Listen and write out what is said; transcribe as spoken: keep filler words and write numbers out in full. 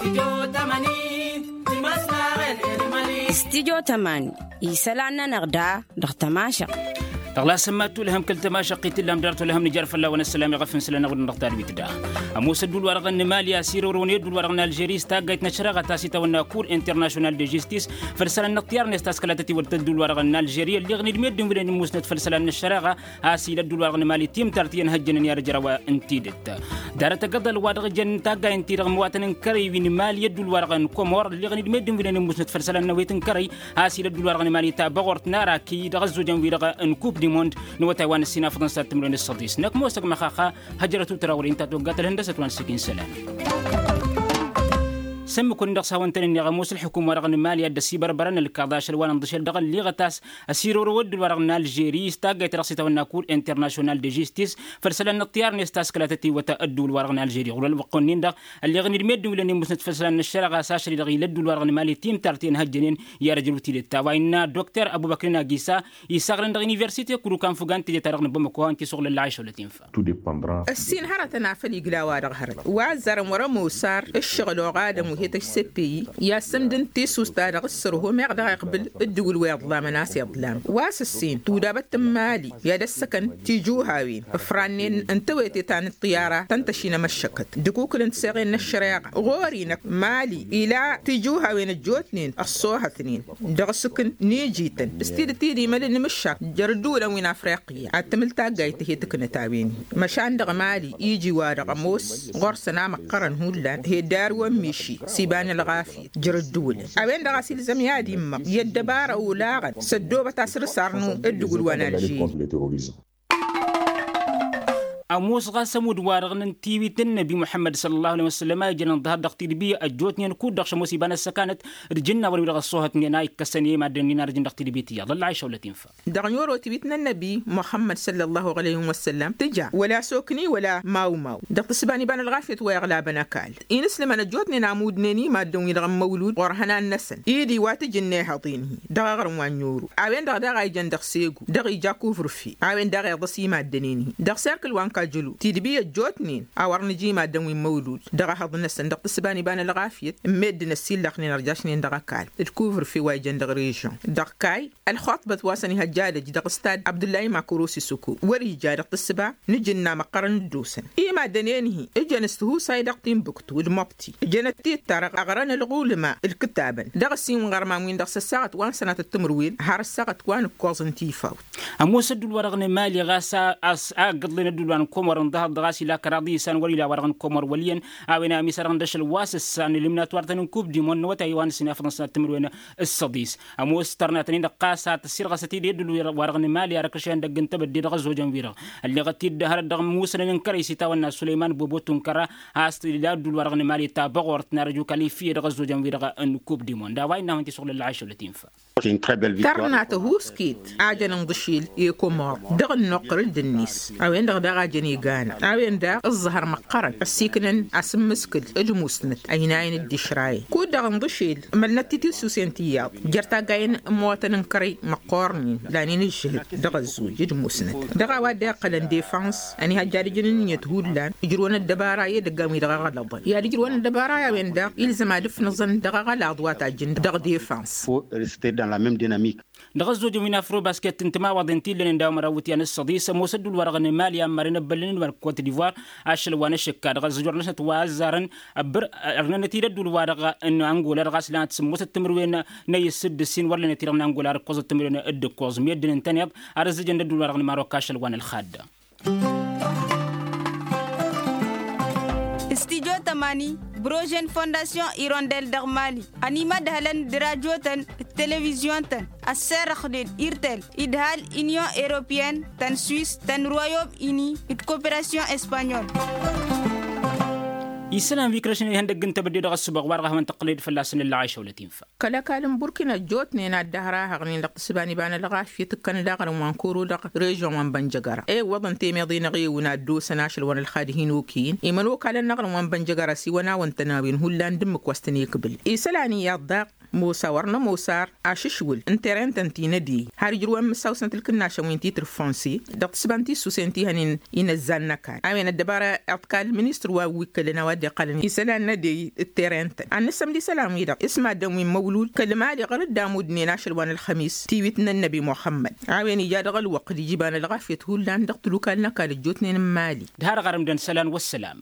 Stidyo tămani isălan-nănăɣ da dăɣ-tămašăɣt. Dăɣ-la sămmat tulhăm kăl-tămašăɣt i-tǝllam dăr-t tulhăm nǝjar fălla-wăn ăssălam i-ɣăf n-isălan-năɣ wăr dăɣ-tadwit da. Ămoos ădduul-wa-dăɣ n-mali a-s irăwrăwăn i-ădduul-wa-dăɣ n-alžeri s-taggayt n-ăššăreɣa ta s-itawănna kur international de žistis făll-isălan n-ăṭṭiyar n-e-s taskăla tătiwăt ădduul-wa-dăɣ n-alžeri ălleɣ n-idmed d-inwǝlen n-musnăt făll-isălan n-ăššăreɣa a-s ila ădduul-wa-dăɣ n-mali timtart i-ănhăjjănen i-ad-ǝjrăw n-tidǝt. Darăt agǝḍăl wa dăɣ-jăn taggayen-ti-dăɣ măwatăn n-kărăy wi n-mali i-ădduul-wa-dăɣ n-komor ălleɣ n-idmed d-inwǝlen n-musnăt făll-isălan n-awet n-kărăy a-s ila ădduul-wa-dăɣ n-mali ta băɣort n-araki dăɣ-ăzzojăn-wi-dăɣ n-kup di mond n-awătay wa n-ǝssin afăḍăn s-ad-timǝrwen d-săḍis năkk mosăg măxaxa. Hăjrăt utra wăr-inta toggat ălhăndăsăt wa n-sǝkin sălan. Sămmǝkun dăɣ-s hawăn-tăn-ǝnneɣ ămoos ălḥukum-wa-dăɣ n-mali ad-dd-ăsibărbărăn ălkaḍ ašăl wa n-inḍǝšel dăɣ-ălliɣăt a-s ăsirorăw ăddul-wa-dăɣ n-alžeri s-taggayt-ta-dăɣ s-itawănna kur international de žistis făll-isălan n-ăṭṭiyar-net taskăla tătiwăt ăddul-wa-dăɣ n-alžeri ɣur-ălwăqq-wen-in-dăɣ ălleɣ n-idmed d-inwǝlăn i-musnăt făll-isălan n-ăššăreɣa a-s ašăl-i-dăɣ ila ăddul-wa-dăɣ n-mali timtart i-ănhăjjănen i-ad-ăjrăw tidǝt ta wa innă dokter ăbubăkr n-agisa isaɣrăn dăɣ-universite kărukan fugant teje-ta-dăɣ n-bamăko a-wen ti-suɣǝl ălla ašăwlăt-in. Ăssin hărătăn afăl igla-wa-dăɣ hărăt wa ăzzarăn wăr-ămoos ar ǝššăɣǝl oɣadăn wi he-tăšseppey i-assǝmdǝn tissust-ta-dăɣ s-sărho meɣ dăɣ-iqbǝl ǝddǝwǝl wa iḍlamăn a-s iḍlam wa s-ǝssin tudabăt n-mali i-ad-ăssăkăn tijuhawen ǝfrannen n-tewete ta n-ăṭṭiyara tăn-tăšinăm ăššăkăt d-akukǝl n-tiseɣen n-ăššăreɣa ɣur-i-năk mali ila tijuhawen ăjjootnen ăṣṣoohătnen dăɣ-asǝkǝn n-ijităn s-tidǝt-i d-imăl n-imǝššak jer-ǝddǝwǝlăn wi n-afriqya ad-tǝmǝl taggayt ti-hi-tǝknăt a-wen-hi măšan dăɣ-mali iji-wa-dăɣ ămoos ɣur-săn amăqqărăn hullan hi-dd-arǝwăn miši s-iba n-ălɣafyăt jer-ǝddǝwǝlăn a-wen-dăɣ a-s ilzăm i-ad-immăɣ i-ăddăbara olaɣăn s-ăddoobăt asǝrsar n-ǝddǝwǝl wa n-alžeri. Ămoos ɣas ămudd-wa-dăɣ n-tiwit n-năbi muḥămmăd săl-ăllahu alay wăssălăm a ijăn ǝnḍăhăr dăɣ-tidbi ăjjootnen kud-dăɣ šămoos iba n-ăssăkanăt d-ijǝnnawăn-wi-dăɣ ăṣṣoohătnen a ikkăsăn i-maddǝn-nin arǝjǝn dăɣ-tidbit iyyăḍ ălla išăwlăt-in făll-a. Dăɣ-n oro tiwit n-ănnăbi muḥămmăd săl-ăllahu alay wăssălăm tǝja wăla sokni wăla mawmaw dăɣ-tǝssǝba n-iba n-ălɣafyăt wa iɣlabăn ăkall inǝslǝmăn ăjjootnen amudnen i-maddǝn-wi-dăɣ n-măwlud ɣur-ihănan-năsăn idi wa tǝjǝnna ihăḍen-hi dăɣ-aɣrǝm wa n-oro a-wen-dăɣ daɣ a ijăn dăɣ-segu dăɣ-ija kuvr-fi a-wen daɣ iḍăs i-maddǝn-in-hi dăɣ-serkǝl wa n-kajǝlu tidbi ăjjootnen a wăr nǝja i-maddǝn wi n-măwlud dăɣ-ehăḍ-năsăn dăɣ-tǝssǝba n-iba n-ălɣafyăt n-meddǝn ăssillăxnen ărjašnen dăɣ-ăkall d-kuvr-fi wa ijăn dăɣ-režion dăɣ-kayy ălxuṭbăt wa săn ihăjja ad-ǝj dăɣ-stad abdullah imakurusi suku wăr-ija dăɣ-tǝssǝba n-ijǝnna măqqărăn dd-osăn i-maddănen-hi ǝjăn s-tihusay dăɣ-timbuktu d-măbti ǝjăn ăttittărăɣ ăɣrăn ălɣulǝma ǝlkǝtabăn dăɣ-ăssin ɣărman-win-dăɣ s-ăssaɣăt wa n-sănatăt timǝrwen har ăssaɣăt wa n-ǝkkoẓ n-tifawt. Ămoos ăddul-wa-dăɣ n-emali ɣas a ăggǝḍlen ăddul wa n-komor ǝnḍăhăḍ ɣas ila kăraḍ isan wăr-ila wa-dăɣ n-komor wăl' iyyăn a-wen a ămisărăɣ n-dăšăl wa s-ǝssan ălimnat wartăn n-kub dimon n-awătay wa n-ǝssin afăḍăn sănat timǝrwen s-săḍis. Ămoos tărnatăn-in-dăɣ ɣas a tăssirɣăsăt-dd i-ăddul-wa-dăɣ n-emali ar ăkrăšăn dăgg-n tebădde dăɣ-ăzzojăn-wi-dăɣ ălleɣăt-dd hărăt dăɣ-musănăn n-kărăy s-itawănna sulăyman bobo tunkăra a-s ila ăddul-wa-dăɣ n-emali ta băɣort n-arăju kalifiye dăɣ-ăzzojăn-wi-dăɣ n-kub dimon d-a-wa innă a hawăn-t-isuɣǝl ălla ašăl ătinfa. Tărna tăhuskit a jăn ǝnḍǝšil i-komor dăɣ-ănnuqqăr d-ǝnnis a-wen-dăɣ daɣ a jăn iganăɣ a-wen daɣ ǝẓẓăhăr măqqărăn ăssiiknăn asǝmmǝskǝl d-musnăt ăynayăn dd-išrayăn kud-dăɣ ǝnḍǝšil ămălnăt titisusen tiyyăḍ jer-taggayen n-imwătăn n-kărăy măqqoornen lanen ǝžžǝhǝd dăɣ-ăzzuj d-musnăt dăɣ-a-wa dd-iqqălăn defăns ănihăjja ad-ǝjǝn ǝnniyăt hullan ǝjrǝwăn ăddăbara i-edăggan wi dăɣ-aɣălăḍăn i-ad-ǝjrǝwăn ăddăbara i-a-wen daɣ ilzăm ad-ǝfnǝẓăn dăɣ-aɣălaḍ wa tajjǝn dăɣ-defăns. Dăɣ-ăzzojăn wi n-afrobasket n-timawaḍen ti ǝllănen daw-măraw iwǝtyan s-săḍis ămoos ăddul-wa-dăɣ n-emali a ămmărăn ăbbăllăn-in wa n-kot divoir ašăl wa n-ašǝkka dăɣ-ăzzojăn-năsnăt wa ăzzarăn ăbbăr ărnănăt-dd ăddul-wa-dăɣ n-angola dăɣ-a-s lanăt sǝmmosăt timǝrwen n-ayǝs d-ǝssin wăr lănăt-i-dăɣ n-angola ar ǝkkoẓăt timǝrwen d-ǝkkoẓ meddǝn ǝntăneḍ ar ǝzzǝjăn d-ăddul-wa-dăɣ n-marok ašăl wa n-ălxadd. Studyo tămani brožen fondasyon irondel dăɣ-mali ănimădhălăn d-rajotăn d-televizyon-tăn ăsserăxnen irtel idhal inyon europeyăn tăn-swis tăn-royom ini d-koperasyon espanyol. Isălan wi ikrăšnen ihăndăgg n-tebădde dăɣ-ăssǝboɣ wa-dăɣ a hawăn-tăqqǝled fălla-săn ǝlla ašăwlăt-in făll-a. Kăl-ăkall n-burkina ăjjootnen ad-dd-ăhrahăɣnen dăɣ-tǝssǝba n-iba n-ălɣafyăt ǝkkăn daɣ ărǝm wa n-koro dăɣ-režion wa n-bănjăgăra i-iwwăḍăn temeḍe-năɣ i-ewǝn ad-dd-osăn ašăl wa n-ălxad hin-okăyăn i-imănokalăn n-aɣrǝm wa n-bănjăgăra s-iwăn-awăn-tăn a-wen hullan d-ǝmmǝk wa s-tăn-ikbǝl isălan iyyăḍ daɣ. Mosa wăr n-ămoos ar ašǝšwǝl n-terentăn ti n-ădey har ijrǝwăn mǝssaw-snăt ǝlkǝnnašăn wi n-titǝr fonse dăɣ-tǝsba n-tissusen ti hănen. Inăzzan n-ăkall a-wen ăddăbara iḍkal ministăr wa wi ǝkkălăn a-wa dd-iqqălăn isălan n-ădey d-terentăn ad-nǝssămd isălan-wi-dăɣ s-maddǝn wi n-măwlul kăl-mali ɣur-dd amud-nen ašăl wa n-ălxămis tiwit n-ănnăbi muxămmăd. A-wen ija dăɣ-ălwăqq d-ija iba n-ălɣafyăt hullan dăɣ-tǝlukal n-ăkall ăjjootnen n-mali. D-har ɣărǝmdăn isălan wăssălam.